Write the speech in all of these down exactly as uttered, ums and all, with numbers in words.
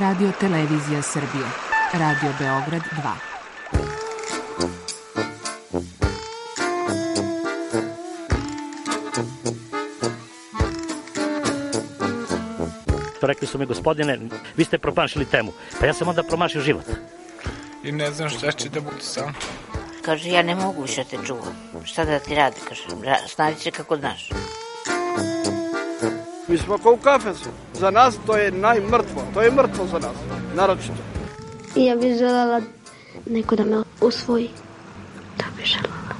Radio Televizija Srbije, Radio Beograd dva. Rekli su mi, gospodine, vi ste promašili temu. Pa ja sam onda promašio život. I ne znam šta će da bude sam. Kaže, ja ne mogu više te čuvam. Šta da ti radi, kaže, snađi se kako znaš. Mi smo kao u kafesu. Za nas to je najmrtvo. To je mrtvo za nas, naročito. I ja bih želela neko da me usvoji. To bih želela.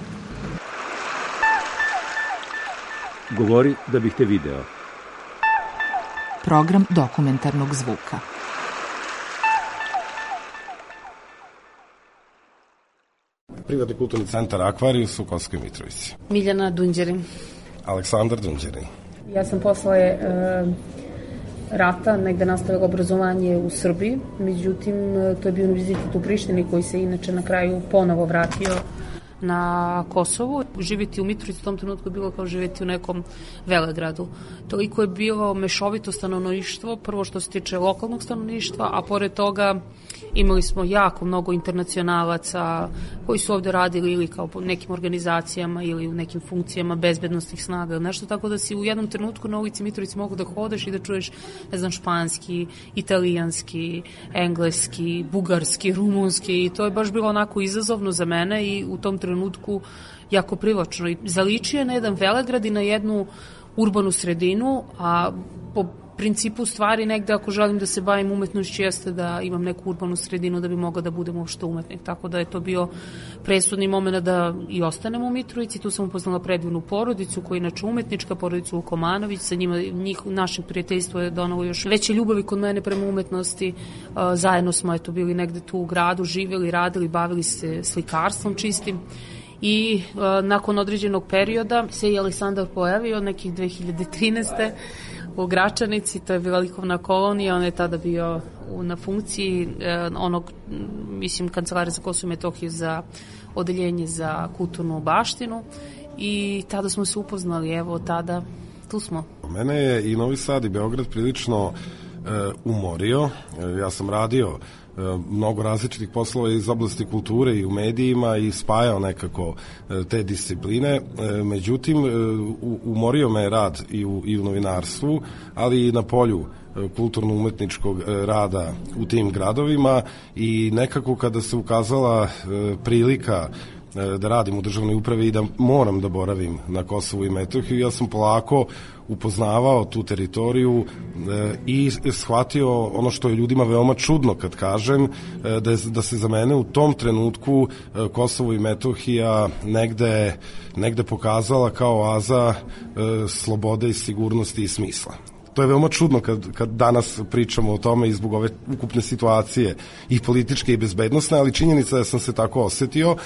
Govori da bih te video. Program dokumentarnog zvuka. Privatni kulturni centar Akvarijus u Kosovskoj Mitrovici. Miljana Dunđerin. Aleksandar Dunđerin. Ja sam posle e, rata negde nastavila obrazovanje u Srbiji, međutim to je bio univerzitet u Prištini koji se inače na kraju ponovo vratio na Kosovu. Živjeti u Mitrovici u tom trenutku je bilo kao živjeti u nekom velegradu. Toliko je bilo mešovito stanovništvo, prvo što se tiče lokalnog stanovništva, a pored toga imali smo jako mnogo internacionalaca koji su ovde radili ili kao po nekim organizacijama ili u nekim funkcijama bezbednostnih snaga ili nešto, tako da si u jednom trenutku na ulici Mitrovici mogu da hodeš i da čuješ, ne znam, španski, italijanski, engleski, bugarski, rumunski, i to je baš bilo onako izazovno za mene i u tom trenutku jako privlačno. I zaličio je na jedan velegrad i na jednu urbanu sredinu, a po principu stvari negde ako želim da se bavim umetnošću jeste da imam neku urbanu sredinu da bi mogla da budem uopšte umetnik. Tako da je to bio presudni moment da i ostanem u Mitrovici. Tu sam upoznala predivnu porodicu koja je inače umetnička, porodicu Vukomanović. Sa njima, njih, našim prijateljstvo je donalo još veće ljubavi kod mene prema umetnosti. Zajedno smo eto bili negde tu u gradu, živjeli, radili, bavili se slikarstvom čistim. I uh, nakon određenog perioda se i Aleksandar pojavio nekih dve hiljade trinaeste. u Gračanici, to je bila likovna kolonija, on je tada bio na funkciji eh, onog, mislim, kancelarija za Kosovo i Metohiju za odeljenje za kulturnu baštinu i tada smo se upoznali, evo tada tu smo. Mene je i Novi Sad i Beograd prilično e, umorio, e, ja sam radio e, mnogo različitih poslova iz oblasti kulture i u medijima i spajao nekako e, te discipline, e, međutim e, u, umorio me rad i u, i u novinarstvu, ali i na polju kulturno-umetničkog rada u tim gradovima i nekako kada se ukazala e, prilika da radim u državnoj upravi i da moram da boravim na Kosovu i Metohiji, ja sam polako upoznavao tu teritoriju e, i shvatio ono što je ljudima veoma čudno kad kažem, e, da, je, da se za mene u tom trenutku e, Kosovo i Metohija negde, negde pokazala kao oaza e, slobode i sigurnosti i smisla. To je veoma čudno kad, kad danas pričamo o tome i zbog ove ukupne situacije i političke i bezbednosne, ali činjenica je da sam se tako osetio,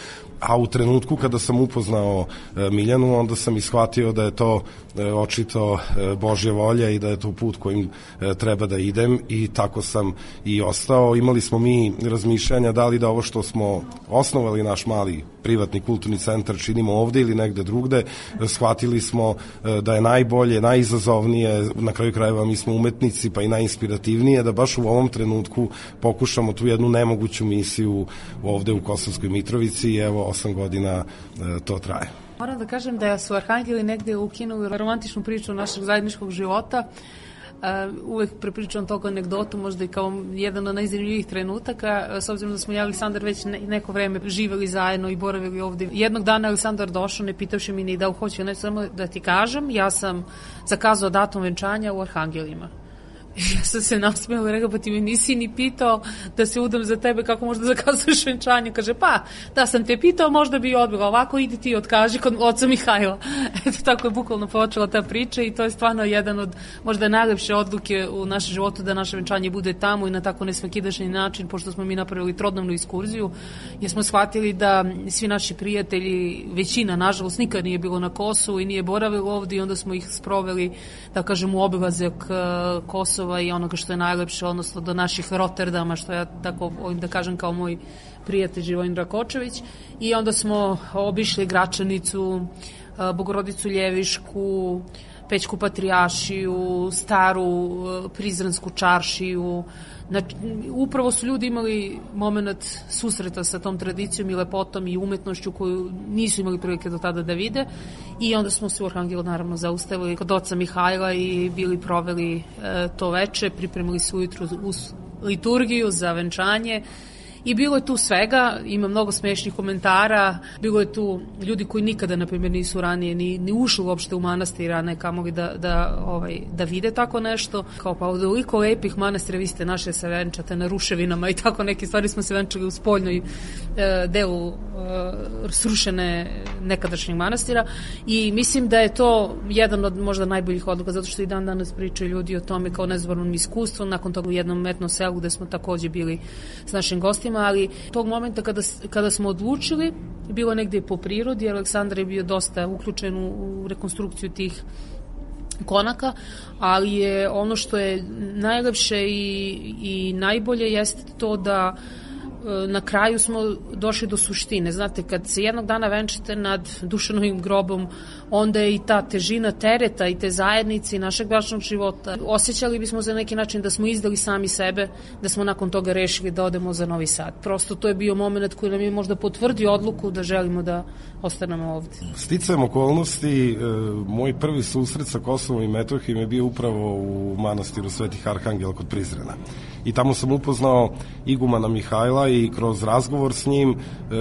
a u trenutku kada sam upoznao e, Miljanu, onda sam ishvatio da je to e, očito e, Božja volja i da je to put kojim e, treba da idem i tako sam i ostao. Imali smo mi razmišljanja da li da ovo što smo osnovali naš mali privatni kulturni centar činimo ovde ili negde drugde. E, shvatili smo e, da je najbolje, najizazovnije, na kraju krajeva mi smo umetnici pa i najinspirativnije, da baš u ovom trenutku pokušamo tu jednu nemoguću misiju ovde u Kosovskoj Mitrovici i evo osam godina e, to traje. Moram da kažem da su Arhangeli negde ukinuli romantičnu priču našeg zajedničkog života. Uh, uvek prepričam toga anegdotu, možda i kao jedan od najzanimljivijih trenutaka, s obzirom da smo i Aleksandar već ne, neko vreme živeli zajedno i boravili ovde. Jednog dana Aleksandar došao, ne pitavši mi ni da hoću, ne samo da ti kažem, ja sam zakazao datum venčanja u Arhangelima. Ja sam se nasmijala i rekao, pa ti mi nisi ni pitao da se udam za tebe, kako možda zakazuješ venčanje. Kaže, pa, da sam te pitao, možda bi odbila, ovako idi ti otkaži kod oca Mihajla. Eto, tako je bukvalno počela ta priča i to je stvarno jedan od možda najlepše odluke u našem životu da naše venčanje bude tamo i na tako nesvakidašnji način, pošto smo mi napravili trodnevnu ekskurziju, jer smo shvatili da svi naši prijatelji, većina, nažalost, nikad nije bilo na Kosovu i nije boravilo ovdje i onda smo ih sproveli, da kažem, u obilazak Kosova i onoga što je najlepše, odnosno do naših Rotterdama, što ja tako ovim da kažem kao moj prijatelj Živojin Rakočević, i onda smo obišli Gračanicu, Bogorodicu Ljevišku, Pećku Patrijaršiju, staru Prizrensku čaršiju. Znači, upravo su ljudi imali moment susreta sa tom tradicijom i lepotom i umetnošću koju nisu imali prilike do tada da vide, i onda smo se u Arhangelu naravno zaustavili kod oca Mihajla i bili proveli e, to veče, pripremili se ujutru uz liturgiju za venčanje. I bilo je tu svega, ima mnogo smešnih komentara, bilo je tu ljudi koji nikada, na primjer, nisu ranije ni, ni ušli uopšte u manastir, a ne kamoli da, da, ovaj, da vide tako nešto. Kao pa od ovoliko lepih manastira vi ste naše se venčate na ruševinama i tako neke stvari, smo se venčali u spoljnoj e, delu e, srušene nekadašnjeg manastira, i mislim da je to jedan od možda najboljih odluka, zato što i dan danas pričaju ljudi o tome kao nezbornom iskustvu. Nakon toga u jednom metnom selu gde smo takođe bili s našim gostima, ali tog momenta kada, kada smo odlučili, bilo negde po prirodi, Aleksandar je bio dosta uključen u, u rekonstrukciju tih konaka, ali je ono što je najlepše i, i najbolje jeste to da na kraju smo došli do suštine. Znate, kad se jednog dana venčate nad Dušanovim grobom, onda je i ta težina tereta i te zajednice i našeg bračnog života. Osjećali bismo za neki način da smo izdali sami sebe, da smo nakon toga rešili da odemo za Novi Sad. Prosto to je bio moment koji nam je možda potvrdio odluku da želimo da ostanemo ovde. Sticajem okolnosti, moj prvi susret sa Kosovom i Metohijom je bio upravo u manastiru Svetih Arhangela kod Prizrena. I tamo sam upoznao igumana Mihajla i kroz razgovor s njim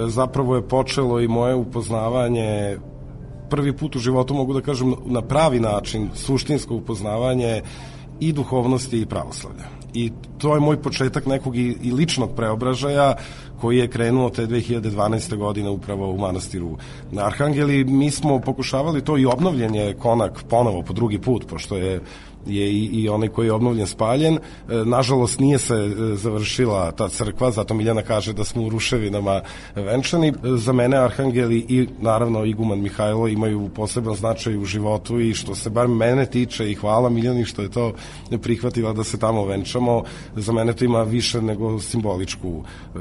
zapravo je počelo i moje upoznavanje, prvi put u životu mogu da kažem na pravi način, suštinsko upoznavanje i duhovnosti i pravoslavlja. I to je moj početak nekog i, i ličnog preobražaja koji je krenuo te dve hiljade dvanaeste. godine upravo u manastiru na Arhangeli. Mi smo pokušavali to i obnovljen je konak ponovo po drugi put, pošto je je i, i onaj koji je obnovljen spaljen. E, nažalost nije se e, završila ta crkva, zato Miljana kaže da smo u ruševinama venčani. E, za mene Arhangeli i naravno iguman Mihajlo imaju poseban značaj u životu, i što se bar mene tiče, i hvala Miljani što je to prihvatila da se tamo venčamo, za mene to ima više nego simboličku e,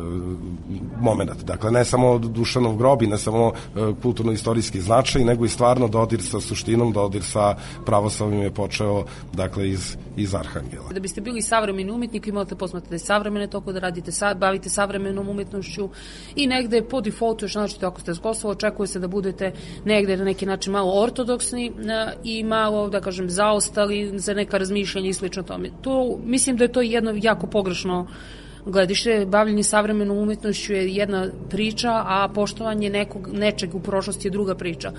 moment. Dakle, ne samo Dušanov grob i ne samo e, kulturno-istorijski značaj, nego i stvarno dodir sa suštinom, dodir sa pravoslavnim je počeo dakle iz, iz Arhangela. Da biste bili savremeni umetnik, vi morate posmatrati savremene toko, da radite, sa, bavite savremenom umetnošću, i negde po defaultu, još znači ako ste s Kosova, očekuje se da budete negde na neki način malo ortodoksni a, i malo, da kažem, zaostali za neka razmišljanja i slično tome. To, mislim da je to jedno jako pogrešno gledište. Bavljenje savremenom umetnošću je jedna priča, a poštovanje nekog, nečeg u prošlosti je druga priča.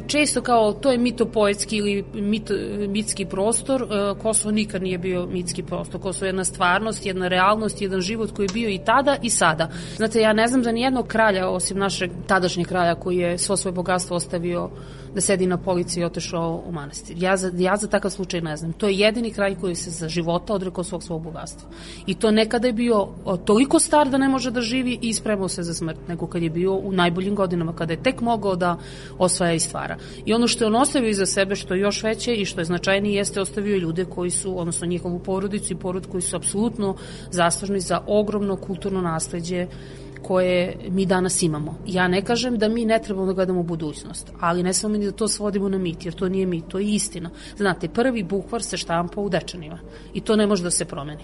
Često kao to je mitopoetski ili mit, mitski prostor, Kosovo nikad nije bio mitski prostor. Kosovo je jedna stvarnost, jedna realnost, jedan život koji je bio i tada i sada. Znate, ja ne znam za nijednog kralja, osim našeg tadašnjeg kralja koji je svo svoje bogatstvo ostavio da sedi na polici i otešao u manastir. Ja za, ja za takav slučaj ne znam. To je jedini kralj koji se za života odrekao svog svog bogatstva. I to nekada je bio toliko star da ne može da živi i spremao se za smrt, nego kad je bio u najboljim godinama, kada je tek mogao da osvaja i stvara. I ono što je on ostavio iza sebe, što je još veće i što je značajnije, jeste ostavio ljude koji su, odnosno njihovu porodicu i porod koji su apsolutno zaslužni za ogromno kulturno nasleđe koje mi danas imamo. Ja ne kažem da mi ne trebamo da gledamo budućnost, ali ne samo mi da to svodimo na mit, jer to nije mit, to je istina. Znate, prvi bukvar se štampa u Dečanima i to ne može da se promeni.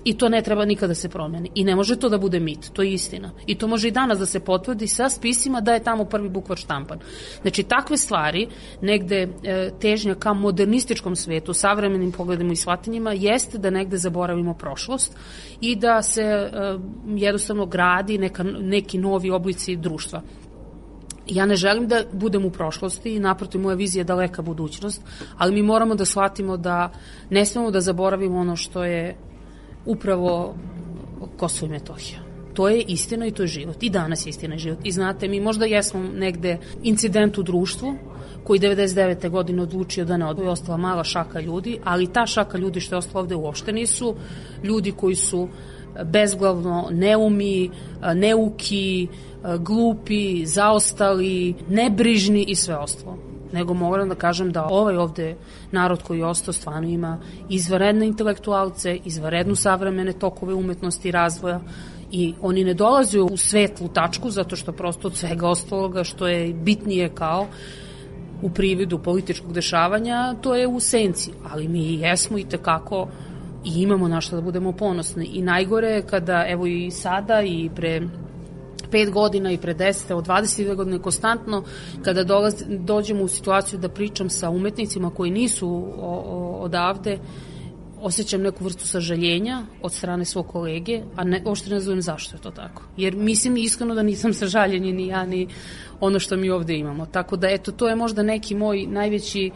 I to ne treba nikada da se promeni. I ne može to da bude mit, to je istina. I to može i danas da se potvrdi sa spisima da je tamo prvi bukvar štampan. Znači, takve stvari, negde e, težnja ka modernističkom svetu, savremenim pogledima i shvatanjima, jeste da negde zaboravimo prošlost i da se e, jednostavno gradi neka, neki novi oblici društva. Ja ne želim da budem u prošlosti i naprotiv, moja vizija je daleka budućnost, ali mi moramo da shvatimo da ne smemo da zaboravimo ono što je upravo Kosovo i Metohija. To je istina i to je život. I danas je istina i život. I znate, mi možda jesmo negde incident u društvu koji devedeset devete. godine odlučio da ne odvoji, ostala mala šaka ljudi, ali ta šaka ljudi što je ostala ovde uopšte nisu ljudi koji su bezglavno, neumi, neuki, glupi, zaostali, nebrižni i sve ostalo. Nego moram da kažem da ovaj ovde narod koji je ostao stvarno ima izvanredne intelektualce, izvanrednu savremene tokove umetnosti i razvoja, i oni ne dolaze u svetlu tačku zato što prosto od svega ostaloga što je bitnije kao u prividu političkog dešavanja, to je u senci, ali mi jesmo i tekako i imamo na što da budemo ponosni. I najgore je kada, evo i sada i pre pet godina i pre deset, evo dvadeset dve godine konstantno, kada dolaz, dođemo u situaciju da pričam sa umetnicima koji nisu o, o, odavde, osjećam neku vrstu sažaljenja od strane svog kolege, a ne, uopšte ne razumem zašto je to tako. Jer mislim iskreno da nisam sažaljenje ni ja, ni ono što mi ovde imamo. Tako da, eto, to je možda neki moj najveći,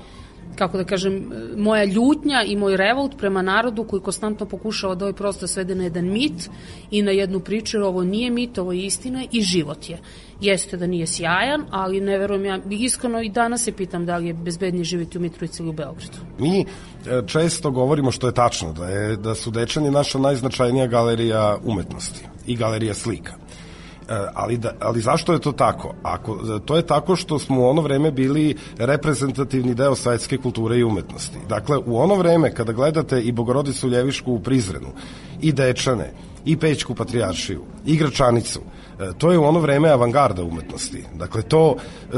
kako da kažem, moja ljutnja i moj revolt prema narodu koji konstantno pokušava da ovaj prostor svede na jedan mit i na jednu priču, jer ovo nije mit, ovo je istina i život je. Jeste da nije sjajan, ali ne verujem ja, iskreno i danas se pitam da li je bezbednije živjeti u Mitrovici ili u Beogradu. Mi često govorimo, što je tačno, da, je, da su Dečani naša najznačajnija galerija umetnosti i galerija slika. Ali, da, ali zašto je to tako? Ako, to je tako što smo u ono vreme bili reprezentativni deo svetske kulture i umetnosti. Dakle, u ono vreme kada gledate i Bogorodicu Ljevišku u Prizrenu, i Dečane, i Pećku patrijaršiju, i Gračanicu, to je u ono vreme avangarda umetnosti. Dakle, to e,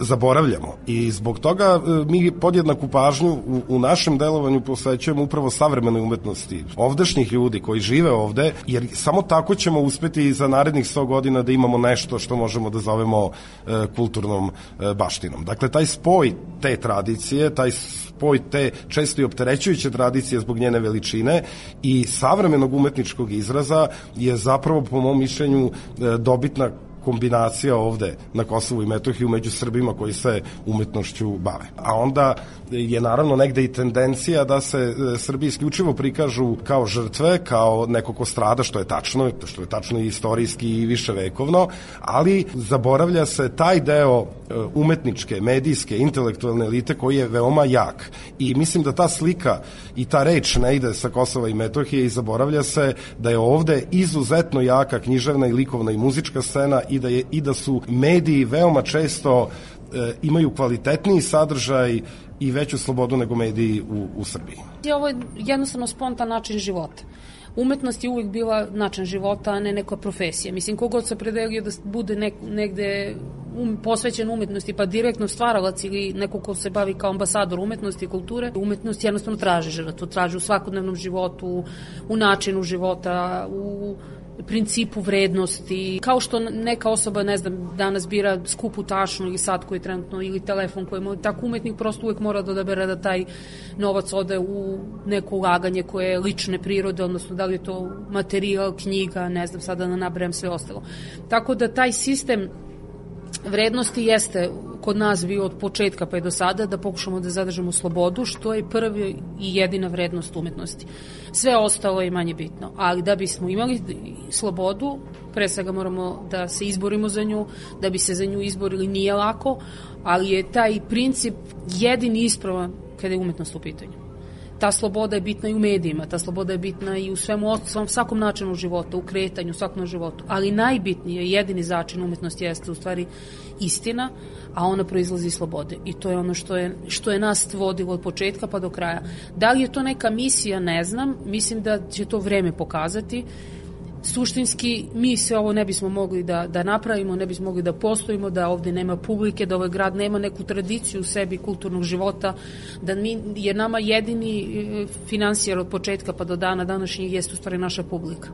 zaboravljamo i zbog toga e, mi podjednaku pažnju u, u našem delovanju posvećujemo upravo savremenoj umetnosti ovdašnjih ljudi koji žive ovde, jer samo tako ćemo uspeti za narednih sto godina da imamo nešto što možemo da zovemo e, kulturnom e, baštinom. Dakle, taj spoj te tradicije, taj spoj te često i opterećujuće tradicije zbog njene veličine i savremenog umetničkog izraza je zapravo, po mom mišljenju, e, dobitna kombinacija ovde na Kosovu i Metohiju među Srbima koji se umetnošću bave. A onda je naravno negde i tendencija da se Srbi isključivo prikažu kao žrtve, kao neko ko strada, što je tačno, što je tačno i istorijski i viševekovno, ali zaboravlja se taj deo umetničke, medijske, intelektualne elite koji je veoma jak. I mislim da ta slika i ta reč ne ide sa Kosova i Metohije i zaboravlja se da je ovde izuzetno jaka književna i likovna i muzička scena i da, je, i da su mediji veoma često e, imaju kvalitetniji sadržaj i veću slobodu nego mediji u, u Srbiji. Ovo je jednostavno spontan način života. Umetnost je uvijek bila način života, a ne neka profesija. Mislim, kogod se predelio da bude nek, negde um, posvećen umetnosti, pa direktno stvaralac ili neko ko se bavi kao ambasador umetnosti i kulture, umetnost jednostavno traži žrtvu, traži u svakodnevnom životu, u načinu života, u principu vrednosti. Kao što neka osoba, ne znam, danas bira skupu tašnu ili sat koji je trenutno, ili telefon koji je, tako umetnik prosto uvek mora da odabere da taj novac ode u neko ulaganje koje je lične prirode, odnosno da li je to materijal, knjiga, ne znam, sada da nabrajam sve ostalo. Tako da taj sistem vrednosti jeste kod nas bio od početka pa i do sada da pokušamo da zadržimo slobodu, što je prvi i jedina vrednost umetnosti. Sve ostalo je manje bitno, ali da bismo imali slobodu, pre svega moramo da se izborimo za nju, da bi se za nju izborili nije lako, ali je taj princip jedini ispravan kada je umetnost u pitanju. Ta sloboda je bitna i u medijima, ta sloboda je bitna i u svemu, svakom načinu života, u kretanju, u svakom životu, ali najbitnije, jedini začin umetnosti jeste u stvari istina, a ona proizlazi iz slobode i to je ono što je, što je nas vodilo od početka pa do kraja. Da li je to neka misija, ne znam, mislim da će to vreme pokazati. Suštinski, mi se ovo ne bismo mogli da, da napravimo, ne bismo mogli da postojimo, da ovde nema publike, da ovaj grad nema neku tradiciju u sebi kulturnog života, da mi, jer nama jedini finansijer od početka pa do dana današnjeg jeste u stvari naša publika.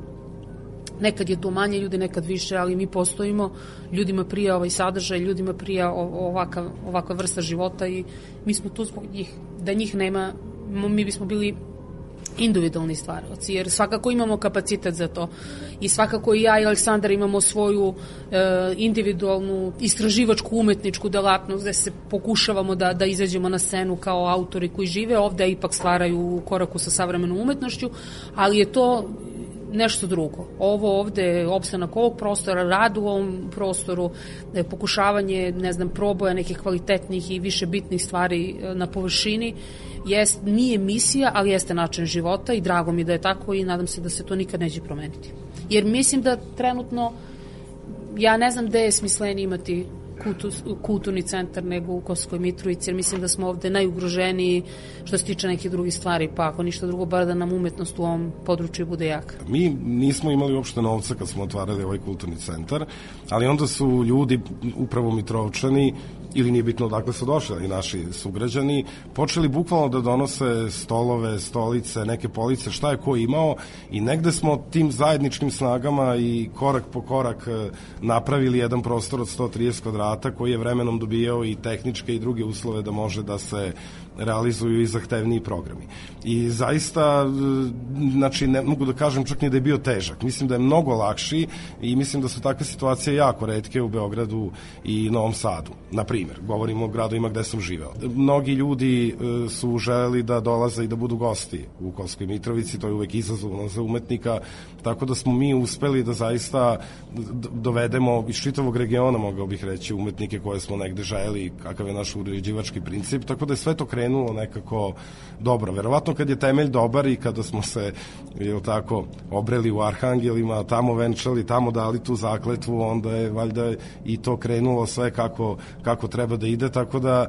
Nekad je to manje ljudi, nekad više, ali mi postojimo, ljudima prija ovaj sadržaj, ljudima prija ovaka, ovakva vrsta života i mi smo tu zbog njih. Da njih nema, mi bismo bili individualni stvaralci, jer svakako imamo kapacitet za to i svakako i ja i Aleksandar imamo svoju e, individualnu istraživačku umetničku delatnost gde se pokušavamo da, da izađemo na scenu kao autori koji žive ovde, a ipak stvaraju u koraku sa savremenom umetnošću, ali je to nešto drugo. Ovo ovde je opstanak ovog prostora, rad u ovom prostoru, pokušavanje, ne znam, proboja nekih kvalitetnih i više bitnih stvari na površini, jest, nije misija, ali jeste način života i drago mi da je tako i nadam se da se to nikad neće promeniti. Jer mislim da trenutno, ja ne znam gde je smislenije imati kulturni centar nego u Kosovskoj Mitrovici, jer mislim da smo ovde najugroženiji što se tiče nekih drugih stvari, pa ako ništa drugo, bar da nam umetnost u ovom području bude jaka. Mi nismo imali uopšte novca kad smo otvarali ovaj kulturni centar, ali onda su ljudi, upravo Mitrovčani, ili nije bitno odakle su došli, naši sugrađani, počeli bukvalno da donose stolove, stolice, neke police, šta je ko imao, i negde smo tim zajedničkim snagama i korak po korak napravili jedan prostor od sto trideset kvadrata koji je vremenom dobijao i tehničke i druge uslove da može da se realizuju i zahtevniji programi. I zaista, znači, ne mogu da kažem čak ni da je bio težak. Mislim da je mnogo lakši i mislim da su takve situacije jako retke u Beogradu i Novom Sadu. Na primjer, govorimo o gradovima gde sam živeo. Mnogi ljudi su želeli da dolaze i da budu gosti u Kosovskoj Mitrovici, to je uvek izazovno za umetnika, tako da smo mi uspeli da zaista dovedemo iz čitavog regiona, mogao bih reći, umetnike koje smo negde želeli, kakav je naš uređivački princip, tako da je sve to krenulo nekako dobro. Verovatno kad je temelj dobar i kada smo se, jel tako, obreli u Arhangelima, tamo venčali, tamo dali tu zakletvu, onda je valjda i to krenulo sve kako, kako treba da ide, tako da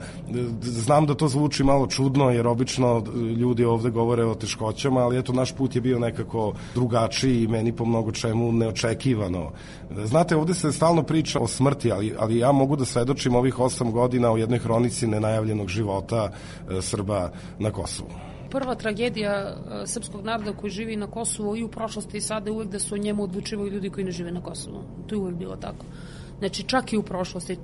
znam da to zvuči malo čudno, jer obično ljudi ovde govore o teškoćama, ali eto, naš put je bio nekako drugačiji i meni po mnogo čemu neočekivano. Znate, ovde se stalno priča o smrti, ali, ali ja mogu da svedočim ovih osam godina o jednoj hronici nenajavljenog života e, Srba na Kosovu. Prva tragedija srpskog naroda koji živi na Kosovu i u prošlosti i sada je uvek da su o njemu odlučivaju ljudi koji ne žive na Kosovu. To je uvek bilo tako. Znači, čak i u prošlosti.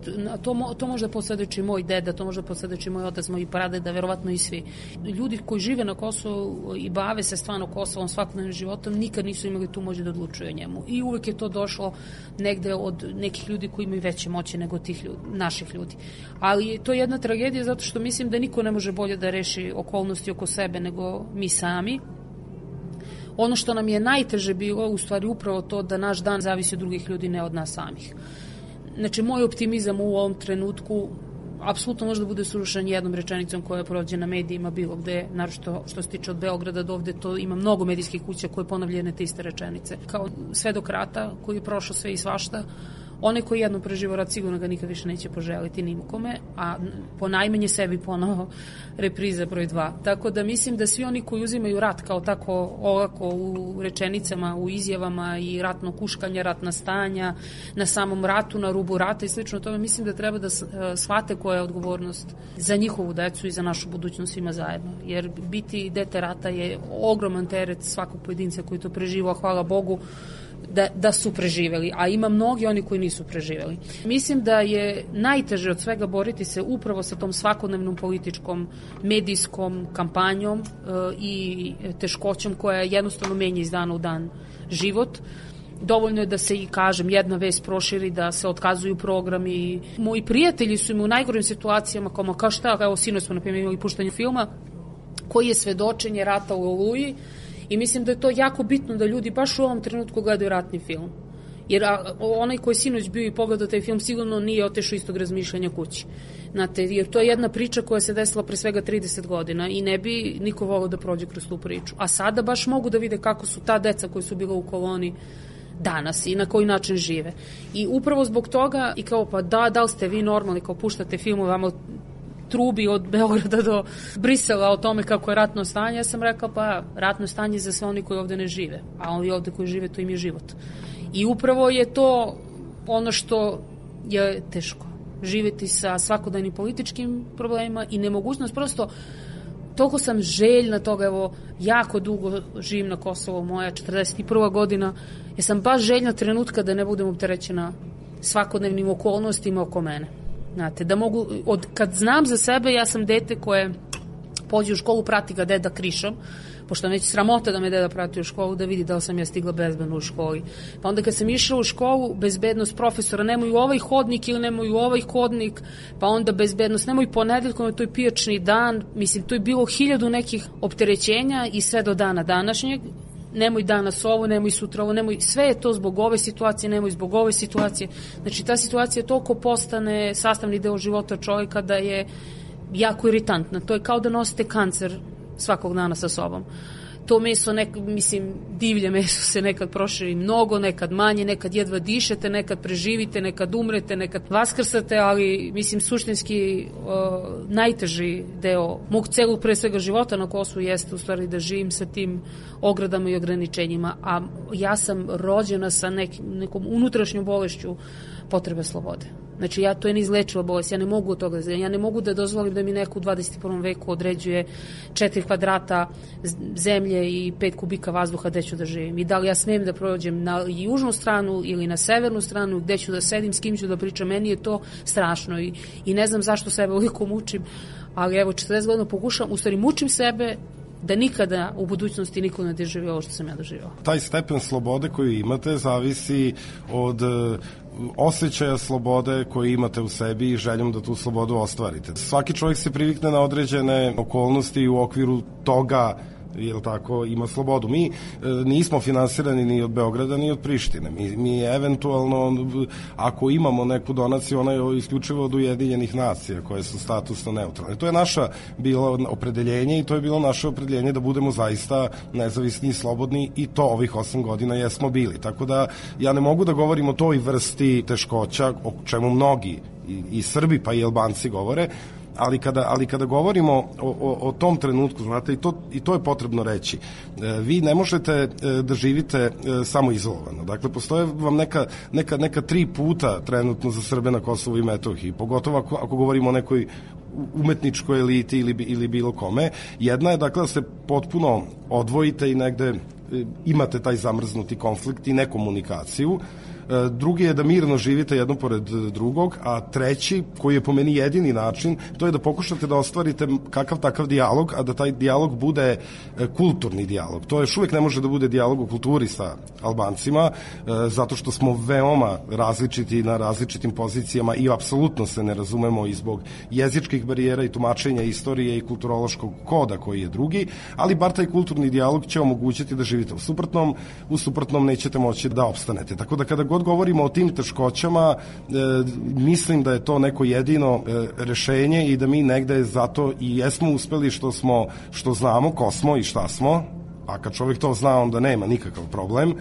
To, to može posvedoči moj deda, to može posvedoči moj otac, moj pradeda, verovatno i svi. Ljudi koji žive na Kosovu i bave se stvarno Kosovom, svakodnevnim životom, nikad nisu imali tu moći da odlučuju o njemu. I uvek je to došlo negde od nekih ljudi koji imaju veće moći nego tih ljudi, naših ljudi. Ali to je jedna tragedija zato što mislim da niko ne može bolje da reši okolnosti oko sebe nego mi sami. Ono što nam je najteže bilo, u stvari upravo to da naš dan zavisi od drugih ljudi, ne od nas samih. Znači, moj optimizam u ovom trenutku apsolutno može da bude srušen jednom rečenicom koja je prođena na medijima bilo gde, naročito što se tiče od Beograda do ovde, to ima mnogo medijskih kuća koje ponavljaju te iste rečenice. Kao svedok rata koji je prošao sve i svašta, onaj koji jednom preživao rat sigurno ga nikad više neće poželiti nimkome, a po najmanje sebi ponovo repriza broj dva. Tako da mislim da svi oni koji uzimaju rat kao tako olako u rečenicama, u izjavama i ratno kuškanje, ratna stanja, na samom ratu, na rubu rata i slično tome, mislim da treba da shvate koja je odgovornost za njihovu decu i za našu budućnost svima zajedno. Jer biti dete rata je ogroman teret svakog pojedinca koji to preživao, hvala Bogu, Da, da su preživeli, a ima mnogi oni koji nisu preživeli. Mislim da je najteže od svega boriti se upravo sa tom svakodnevnom političkom, medijskom kampanjom e, i teškoćom koja jednostavno menja iz dana u dan život. Dovoljno je da se, i kažem, jedna vest proširi, da se otkazuju programi. Moji prijatelji su im u najgorim situacijama, kao, kao šta, evo sinoć smo na primjer imali puštanje filma koji je svedočenje rata u Oluji. I mislim da je to jako bitno da ljudi baš u ovom trenutku gledaju ratni film. Jer a, onaj koji sinoć bio i pogledao taj film sigurno nije otešao istog razmišljanja kući. Znate, jer to je jedna priča koja se desila pre svega trideset godina i ne bi niko volao da prođe kroz tu priču. A sada baš mogu da vide kako su ta deca koji su bila u koloni danas i na koji način žive. I upravo zbog toga, i kao pa da, da li ste vi normalni kao puštate filmove, vama trubi od Beograda do Brisela o tome kako je ratno stanje, ja sam rekao pa ratno stanje za sve oni koji ovde ne žive, a oni ovde koji žive to im je život. I upravo je to ono što je teško, živeti sa svakodnevnim političkim problemima i nemogućnost, prosto toliko sam željna toga, evo jako dugo živim na Kosovo, moja četrdeset prva godina, ja sam baš željna trenutka da ne budem opterećena svakodnevnim okolnostima oko mene. Znate, da mogu, od, kad znam za sebe, ja sam dete koje pođe u školu, prati ga deda krišom, pošto neće sramota da me deda prati u školu, da vidi da li sam ja stigla bezbedno u školi. Pa onda kad sam išla u školu, bezbednost profesora, nemoj u ovaj hodnik ili nemoj u ovaj hodnik, pa onda bezbednost, nemoj ponedeljkom, to je pijačni dan, mislim, to je bilo hiljadu nekih opterećenja i sve do dana današnjeg. Nemoj danas ovo, nemoj sutra ovo, nemoj, sve je to zbog ove situacije, nemoj zbog ove situacije. Znači, ta situacija toliko postane sastavni deo života čovjeka da je jako iritantna. To je kao da nosite kancer svakog dana sa sobom. To meso, nek, mislim, divlje meso se nekad proširi mnogo, nekad manje, nekad jedva dišete, nekad preživite, nekad umrete, nekad vaskrsate, ali, mislim, suštinski uh, najteži deo mog celog pre svega života na Kosovu jeste u stvari da živim sa tim ogradama i ograničenjima, a ja sam rođena sa nek, nekom unutrašnjom bolešću potrebe slobode. Znači, ja, to je neizlečiva bolest, ja ne mogu od toga, ja ne mogu da dozvolim da mi neko u dvadeset prvom veku određuje četiri kvadrata zemlje i pet kubika vazduha gde ću da živim. I da li ja smem da prođem na južnu stranu ili na severnu stranu, gde ću da sedim, s kim ću da pričam, meni je to strašno i, i ne znam zašto sebe ovoliko mučim, ali evo, četrdeset godina pokušam, u stvari mučim sebe da nikada u budućnosti niko ne doživi ovo što sam ja doživao. Taj stepen slobode koju imate zavisi od osjećaja slobode koji imate u sebi i željom da tu slobodu ostvarite. Svaki čovjek se privikne na određene okolnosti i u okviru toga, jel tako, ima slobodu. Mi e, nismo finansirani ni od Beograda ni od Prištine. Mi, mi eventualno, ako imamo neku donaciju, ona je isključivo od Ujedinjenih nacija koje su statusno neutralne. To je naša bilo opredeljenje i to je bilo naše opredeljenje da budemo zaista nezavisni i slobodni i to ovih osam godina jesmo bili. Tako da ja ne mogu da govorim o toj vrsti teškoća o čemu mnogi i, i Srbi pa i Albanci govore, ali kada, ali kada govorimo o, o, o tom trenutku, znate, i to, i to je potrebno reći, e, vi ne možete e, da živite e, samo izolovano. Dakle, postoje vam neka, neka, neka tri puta trenutno za Srbe na Kosovu i Metohiji, pogotovo ako, ako govorimo o nekoj umetničkoj eliti ili, ili bilo kome. Jedna je, dakle, da se potpuno odvojite i negde e, imate taj zamrznuti konflikt i nekomunikaciju. Drugi je da mirno živite jedno pored drugog, a treći, koji je po meni jedini način, to je da pokušate da ostvarite kakav takav dijalog, a da taj dijalog bude kulturni dijalog. To još uvijek ne može da bude dijalog o kulturi sa Albancima, zato što smo veoma različiti na različitim pozicijama i apsolutno se ne razumemo i zbog jezičkih barijera i tumačenja istorije i kulturološkog koda koji je drugi, ali bar taj kulturni dijalog će omogućiti da živite u suprotnom, u suprotnom nećete moći da opstanete. Tako da kada god govorimo o tim teškoćama, e, mislim da je to neko jedino e, rešenje i da mi negde zato i jesmo uspeli što smo, što znamo ko smo i šta smo, a kad čovjek to zna onda nema nikakav problem e,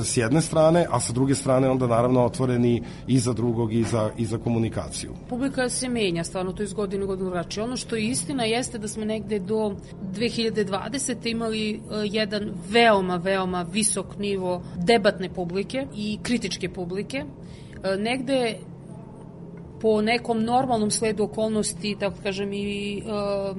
s jedne strane, a sa druge strane onda naravno otvoreni i za drugog i za, i za komunikaciju. Publika se menja, stvarno to je iz godine u godinu drugačije. Ono što je istina jeste da smo negde do dve hiljade dvadesete imali uh, jedan veoma, veoma visok nivo debatne publike i kritičke publike. Uh, negde po nekom normalnom sledu okolnosti, tako kažem i uh,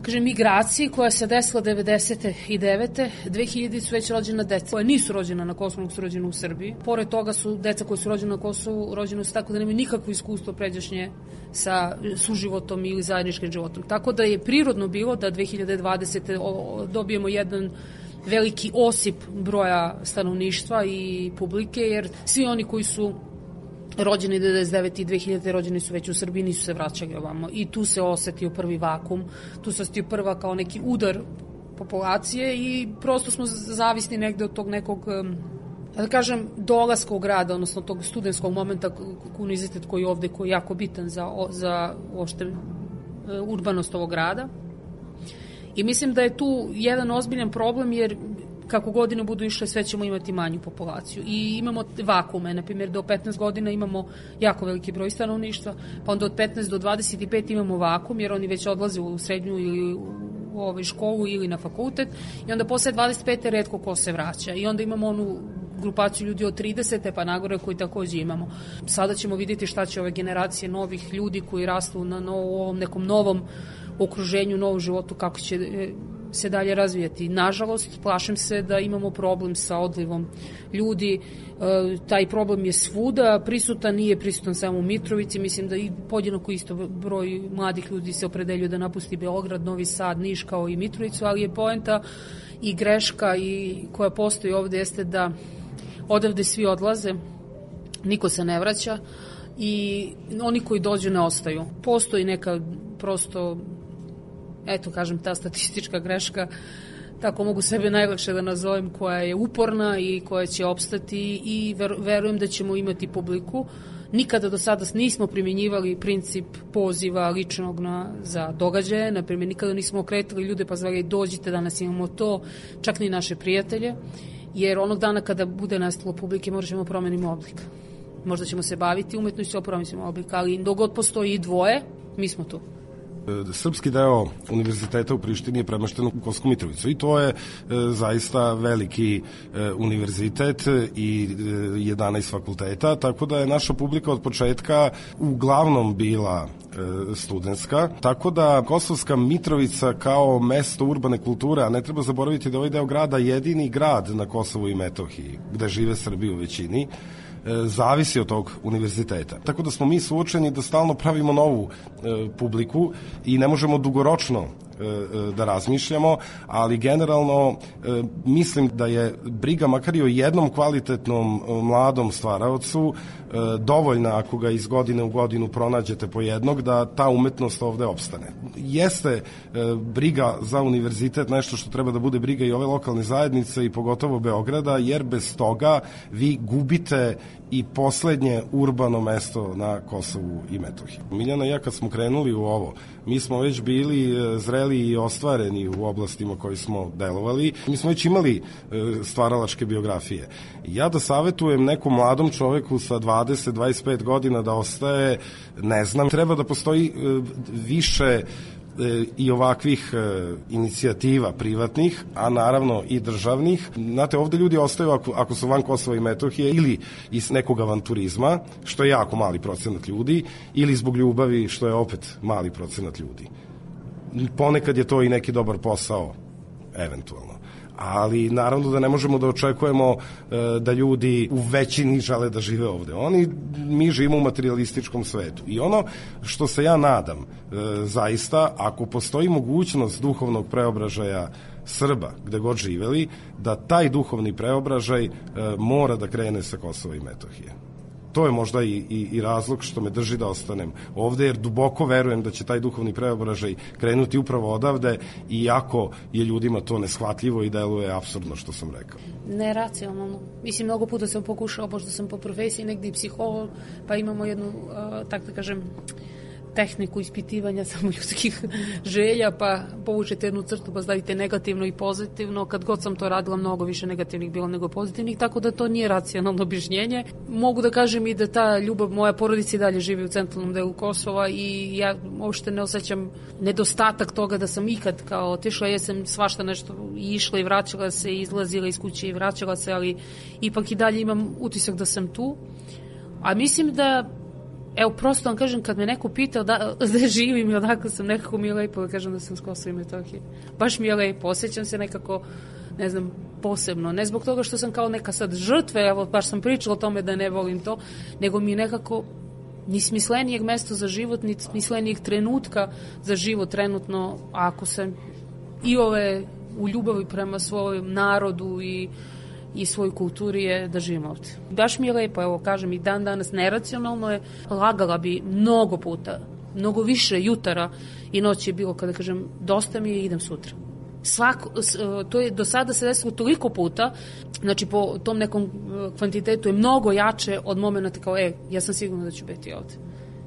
kažem, migraciji koja se desila devedeset devete. dve hiljade su već rođena deca koja nisu rođena na Kosovu, nego su rođena u Srbiji. Pored toga su deca koja su rođena na Kosovu, rođena su tako da nemaju nikakvo iskustvo pređašnje sa suživotom ili zajedničkim životom. Tako da je prirodno bilo da dve hiljade dvadesete dobijemo jedan veliki osip broja stanovništva i publike, jer svi oni koji su rođeni devedeset devete i dve hiljade rođeni su već u Srbiji, nisu se vraćali ovamo. I tu se osetio prvi vakum, tu se osetio prva kao neki udar populacije i prosto smo zavisni negde od tog nekog, da kažem, dolaska u grada, odnosno tog studentskog momenta, univerzitet koji je ovde, koji je jako bitan za, za uopšte urbanost ovog grada. I mislim da je tu jedan ozbiljan problem, jer kako godine budu išle, sve ćemo imati manju populaciju. I imamo vakume, na primjer, do petnaest godina imamo jako veliki broj stanovništva, pa onda od petnaest do dvadeset pet imamo vakum, jer oni već odlaze u srednju ili u ovaj školu ili na fakultet, i onda posle dvadeset pete retko ko se vraća. I onda imamo onu grupaciju ljudi od tridesete pa nagore koji takođe imamo. Sada ćemo vidjeti šta će ove generacije novih ljudi koji rastu na ovom nekom novom okruženju, novom životu, kako će se dalje razvijati. Nažalost, plašim se da imamo problem sa odlivom ljudi. E, taj problem je svuda prisutan, nije prisutan samo u Mitrovici. Mislim da i podjednako isto broj mladih ljudi se opredeljuje da napusti Beograd, Novi Sad, Niš kao i Mitrovicu, ali je poenta i greška i koja postoji ovde jeste da odavde svi odlaze, niko se ne vraća i oni koji dođu ne ostaju. Postoji neka prosto, eto kažem, ta statistička greška, tako mogu sebe najlakše da nazovem, koja je uporna i koja će opstati, i ver, verujem da ćemo imati publiku. Nikada do sada nismo primjenjivali princip poziva ličnog na, za događaje, na primjer nikada nismo okretali ljude pa zvali dođite, danas imamo to, čak ni naše prijatelje, jer onog dana kada bude nastalo publike možda ćemo promeniti oblik. Možda ćemo se baviti umetnošću, promeniti oblik, ali dok god postoji i dvoje, mi smo tu. Srpski deo univerziteta u Prištini je premešten u Kosovsku Mitrovicu i to je zaista veliki univerzitet i jedanaest fakulteta, tako da je naša publika od početka uglavnom bila studentska, tako da Kosovska Mitrovica kao mesto urbane kulture, a ne treba zaboraviti da ovaj deo grada jedini grad na Kosovu i Metohiji, gde žive Srbi u većini, zavisi od tog univerziteta. Tako da smo mi suočeni da stalno pravimo novu e, publiku i ne možemo dugoročno e, da razmišljamo, ali generalno e, mislim da je briga makar i o jednom kvalitetnom mladom stvaraocu e, dovoljna ako ga iz godine u godinu pronađete po jednog, da ta umetnost ovde opstane. Jeste e, briga za univerzitet nešto što treba da bude briga i ove lokalne zajednice i pogotovo Beograda, jer bez toga vi gubite i poslednje urbano mesto na Kosovu i Metohiji. Miljana i ja kad smo krenuli u ovo, mi smo već bili zreli i ostvareni u oblastima koji smo delovali. Mi smo već imali stvaralačke biografije. Ja da savetujem nekom mladom čoveku sa dvadeset do dvadeset pet godina da ostaje, ne znam, treba da postoji više i ovakvih e, inicijativa privatnih, a naravno i državnih. Znate, ovde ljudi ostaju ako, ako su van Kosova i Metohije ili iz nekog avanturizma, što je jako mali procenat ljudi, ili zbog ljubavi, što je opet mali procenat ljudi. Ponekad je to i neki dobar posao, eventualno. Ali naravno da ne možemo da očekujemo e, da ljudi u većini žele da žive ovde. Oni, mi živimo u materialističkom svetu. I ono što se ja nadam, e, zaista, ako postoji mogućnost duhovnog preobražaja Srba, gde god živeli, da taj duhovni preobražaj e, mora da krene sa Kosova i Metohije. To je možda i, i, i razlog što me drži da ostanem ovde, jer duboko verujem da će taj duhovni preobražaj krenuti upravo odavde, iako je ljudima to neshvatljivo i deluje apsurdno što sam rekao. Neracionalno. Mislim, mnogo puta sam pokušao, pošto sam po profesiji negdje i psiholog, pa imamo jednu, uh, tako da kažem, tehniku ispitivanja samo ljudskih želja, pa povučete jednu crtu pa stavite negativno i pozitivno. Kad god sam to radila, mnogo više negativnih bilo nego pozitivnih, tako da to nije racionalno objašnjenje. Mogu da kažem i da ta ljubav, moja porodica i dalje živi u centralnom delu Kosova i ja uopšte ne osjećam nedostatak toga da sam ikad kao otišla, ja sam svašta nešto išla i vraćala se, izlazila iz kuće i vraćala se, ali ipak i dalje imam utisak da sam tu. A mislim da evo, prosto vam kažem, kad me neko pitao da, da živim i odakle sam, nekako mi je lepo da kažem da sam s Kosova i Metohije. Baš mi je lepo, osjećam se nekako, ne znam, posebno. Ne zbog toga što sam kao neka sad žrtve, evo, baš sam pričala o tome da ne volim to, nego mi je nekako ni smislenijeg mesta za život, ni smislenijeg trenutka za život trenutno, ako sam i ove u ljubavi prema svojom narodu i i svoj kulturi je da živim ovdje. Baš mi je lepo, evo kažem i dan danas neracionalno je, lagala bi mnogo puta, mnogo više jutara i noći je bilo kada kažem dosta mi je i idem sutra. Svako, to je do sada se desilo toliko puta, znači po tom nekom kvantitetu je mnogo jače od momenta kao, e, ja sam sigurna da ću biti ovdje.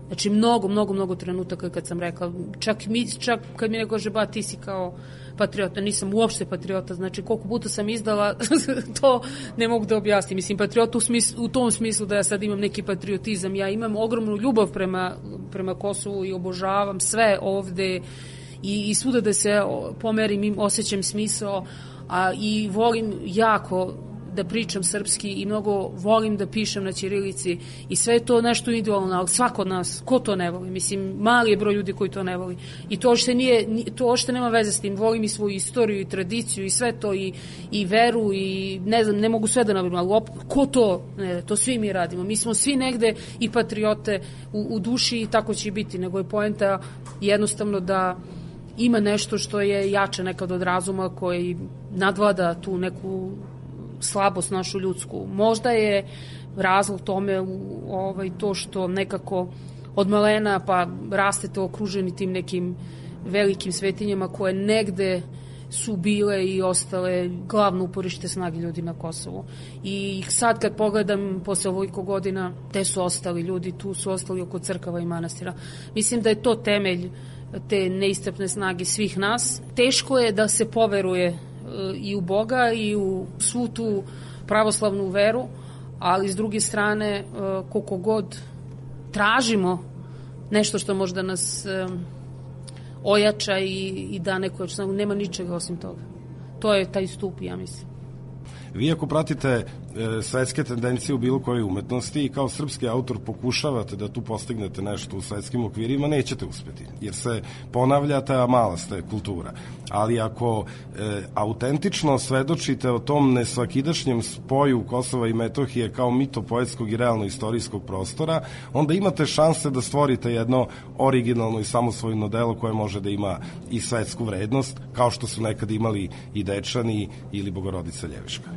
Znači mnogo, mnogo, mnogo trenutaka kad sam rekla, čak, mi, čak kad mi neko kaže, ba ti si kao patriota, nisam uopšte patriota, znači koliko puta sam izdala, to ne mogu da objasnim. Mislim, patriota u, smislu, u tom smislu da ja sad imam neki patriotizam, ja imam ogromnu ljubav prema, prema Kosovu i obožavam sve ovde i, i svuda da se pomerim, im osjećam smisao, a i volim jako da pričam srpski i mnogo volim da pišem na ćirilici i sve je to nešto individualno, ali svako od nas, ko to ne voli? Mislim, mali je broj ljudi koji to ne voli. I to ošte, nije, to ošte nema veze s tim. Volim i svoju istoriju i tradiciju i sve to i, i veru i ne znam, ne mogu sve da nabrim, ali op, ko to? Ne, to svi mi radimo. Mi smo svi negde i patriote u, u duši i tako će i biti, nego je poenta jednostavno da ima nešto što je jače nekad od razuma koji nadvlada tu neku slabost našu ljudsku. Možda je razlog tome ovaj, to što nekako od malena pa rastete okruženi tim nekim velikim svetinjama koje negde su bile i ostale glavno uporište snage ljudi na Kosovu. I sad kad pogledam posle ovoliko godina, te su ostali ljudi, tu su ostali oko crkava i manastira. Mislim da je to temelj te neiscrpne snage svih nas. Teško je da se poveruje i u Boga i u svu tu pravoslavnu veru, ali s druge strane koliko god tražimo nešto što možda nas ojača i, i da neko, nema ničega osim toga. To je taj stup, ja mislim. Vi ako pratite e, svetske tendencije u bilo kojoj umetnosti i kao srpski autor pokušavate da tu postignete nešto u svetskim okvirima, nećete uspeti, jer se ponavljate, a mala ste kultura. Ali ako e, autentično svedočite o tom nesvakidašnjem spoju Kosova i Metohije kao mito-poetskog i realno-istorijskog prostora, onda imate šanse da stvorite jedno originalno i samosvojno delo koje može da ima i svetsku vrednost, kao što su nekad imali i Dečani ili Bogorodica Ljeviška.